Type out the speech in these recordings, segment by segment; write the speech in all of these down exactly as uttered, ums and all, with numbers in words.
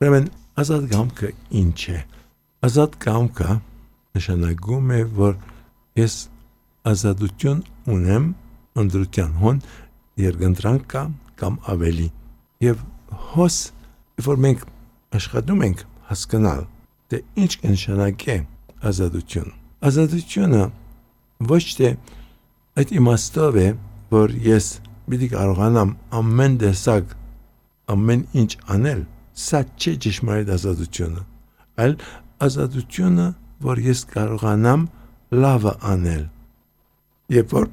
Ուրեմն ազատ կամքը ինչ է։ Ազատ կամքը նշանակում է, որ ես ազատություն ունեմ ընդրության հոն երկընտրանք կա կամ ավելի։ Եվ հոս, որ մենք աշխատում ենք հասկանալ, թե ինչ կնշանակե ազատություն։ Ազատությունը ոչ թե այդ իմաստով է, որ ես պիտի կարողանամ ամեն տեսակ ամեն ինչ անել, սա չէ ճշմարիտ ազատությունը, այլ ազատությունը, որ ես կարողանամ լավը անել։ Երբ որ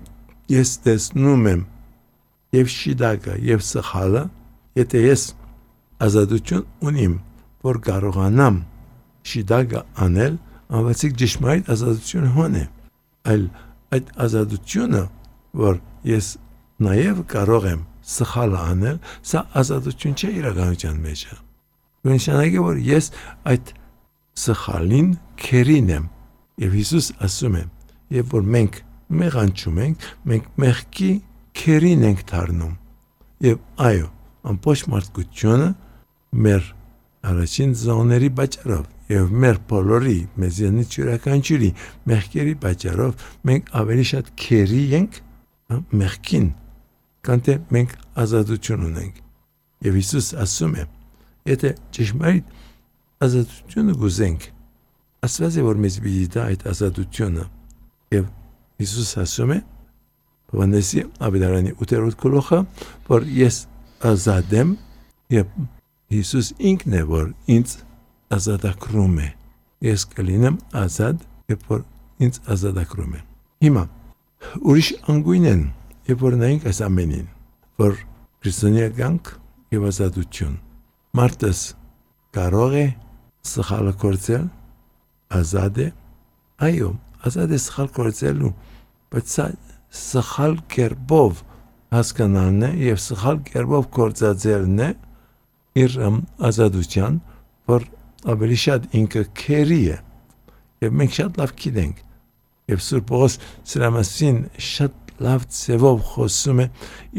ես տեսնում եմ եւ շիդակը եւ սխալը, եթե ես ազատություն ունիմ, որ կարողանամ շիդակը անել, անվացիկ ճշմարիտ ազատություն հոն է, այլ այդ ազատությունը, որ ես նաեւ կարող եմ սխալը անել, սա ազատություն չէ իրականության մեջ։ Նշանակե, որ ես այդ սխալին քերին եմ, եւ Հիսուս ասում է, եւ որ մենք մեղանչում ենք, մենք մեղքի քերին ենք դառնում։ Եվ այո, ամբողջ մարդկությունը մեր առաջին զոհների պատճառով եւ մեր բոլորի մեզանից յուրաքանչյուրի մեղքերի պատճառով մենք ավելի շատ քերի ենք մեղքին, քան թե մենք ազատություն ունենք։ Եվ Հիսուս ասում է, եթե ճշմարիտ ազատությունը գուզենք, Աստված է որ մեզ պիտի տա այդ ազատությունը։ Եվ Հիսուս ասում է Հովհաննեսի ավետարանի ութերորդ գլուխը, որ ես ազատ եմ, եւ Հիսուս ինքն է որ ինձ ազատագրում է։ Ես կլինեմ ազատ, երբ որ ինձ ազատագրում է։ Հիմա ուրիշ անգույն են, երբ որ նայենք այս ամենին, որ քրիստոնեական եւ ազատություն։ Մարդս կարող է սխալը կործել, ազատ է, այո, ազատ է սխալ կործելու, բայց սա սխալ կերպով հասկանալն է եւ սխալ կերպով կործածելն է իր ազատության, որ ավելի շատ ինքը քերի է։ Եվ մենք շատ լավ գիտենք, եւ Սուրբ Պողոս սրա մասին շատ լավ ձևով խոսում է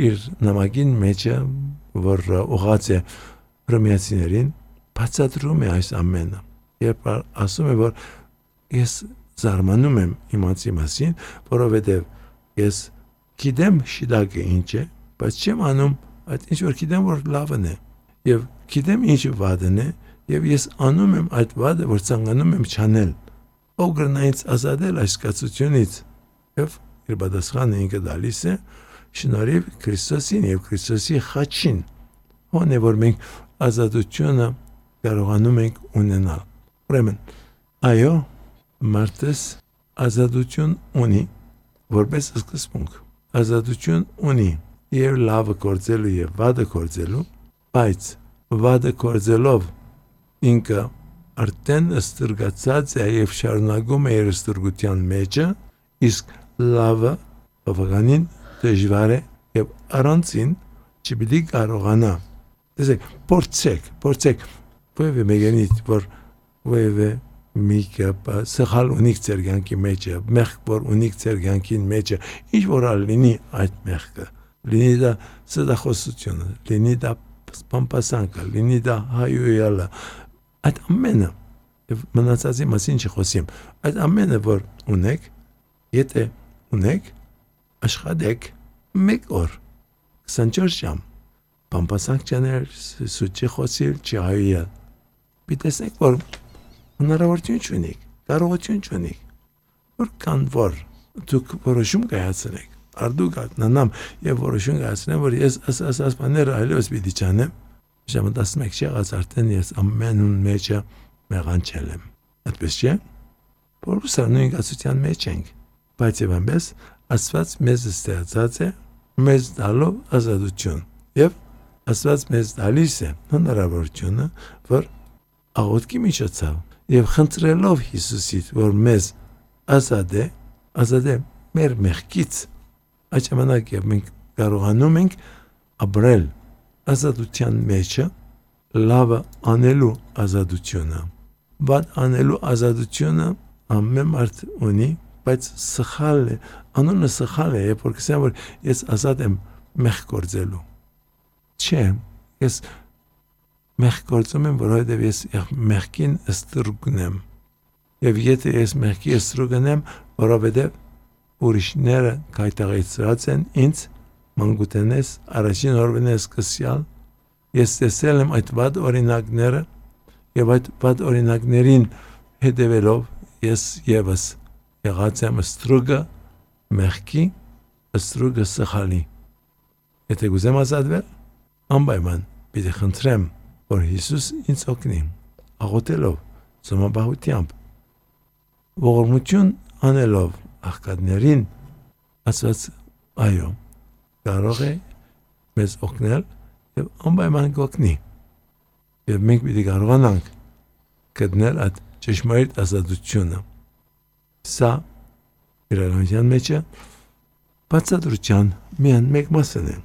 իր նամակին մեջ, որ ուղղած է հռոմեացիներին, բացատրում է այս ամենը։ Երբ ասում է, որ ես զարմանում եմ իմացի մասին, որովհետև ես գիտեմ շիդակը ինչ է, բայց չեմ անում այդ ինչ որ գիտեմ, որ լավն է, եւ գիտեմ ինչ վատն է, եւ ես անում եմ այդ վատը, որ ցանկանում եմ չանել։ Ով կգնա ինձ ազատել այս կացությունից։ Եվ իր պատասխանը ինքը դալիս է շնորհիվ Քրիստոսին եւ Քրիստոսի խաչին։ Ո՞ն է որ մենք ազատությունը կարողանում ենք ունենալ։ Ուրեմն, այո, մարդս ազատություն ունի, որպես սկզբունք։ Ազատություն ունի եւ լավը կործելու եւ վատը կործելու, բայց վատը կործելով ինքը արդեն ստրգացած է եւ շարունակում է իր ստրգության մեջը, իսկ լավը բավականին դժվար է եւ առանցին չպիտի կարողանա։ Տեսեք, փորձեք, փորձեք, ովևէ մեգանիտ, որ ովևէ միկը սխալ ունիք ձեր կյանքի մեջը, մեղք որ ունիք ձեր կյանքին մեջը, ինչ որ լինի այդ մեղքը, լինի դա սդախոսությունը, լինի դա սպամպասանքը, լինի դա հայույալը, այդ ամենը, եւ մնացածի մասին չխոսեմ, այդ ամենը որ ունեք, եթե ունեք, աշխատեք մեկ օր, քսանչորս ժամ, պամպասանք չանել, սուտ չխոսել, չհայույալ, պիտեսնեք, որ հնարավորություն չունիք, կարողություն չունիք, որ կան որ դուք որոշում կայացրեք, արդուք ակնանամ եւ որոշում կայացնեմ, որ ես ասած բաները այլևս պիտի չանեմ, ժամը տասնմեկ չեղած արդեն ես ամենուն մեջը մեղանչել եմ, այդպես չէ, որս նույն կացության մեջ ենք, բայց եւ այնպես Աստված մեզ ստեղծած է մեզ տալով ազատություն եւ Աստված մեզ տալիս է հնարավորությունը, որ աղոթքի միջոցով եւ խնդրելով Հիսուսից, որ մեզ ազատ է, ազատ է մեր մեղքից, այդ ժամանակ եւ մենք կարողանում ենք ապրել ազատության մեջը, լավը անելու ազատությունը, վատ անելու ազատությունը ամեն մարդ ունի, բայց սխալ է, անունը սխալ է, երբ որ կսեմ, որ ես ազատ եմ մեղք գործելու։ Չէ, ես մեղք գործում եմ, որովհետև ես մեղքին ստրուկն եմ։ Եվ եթե ես մեղքի ստրուկն եմ, որովհետև ուրիշները կայտաղեցրած են ինձ մանկութենես առաջին օրվանես սկսյալ, ես տեսել եմ այդ վատ օրինակները եւ այդ վատ օրինակներին հետևելով ես եւս եղած եմ ստրուկը մեղքի, ստրուկը սխալի։ Եթե գուզեմ ազատվել, անպայման պիտի խնդրեմ, որ Հիսուս ինձ օգնի, աղոթելով, ծոմապահությամբ, ողորմություն անելով աղքատներին, ասված այո, կարող է մեզ օգնել եւ անպայման կօգնի։ Եվ մենք պիտի կարողանանք գտնել այդ ճշմարիտ ազատությունը։ Սա իրականության մեջ բացատրության միայն մեկ մասն է։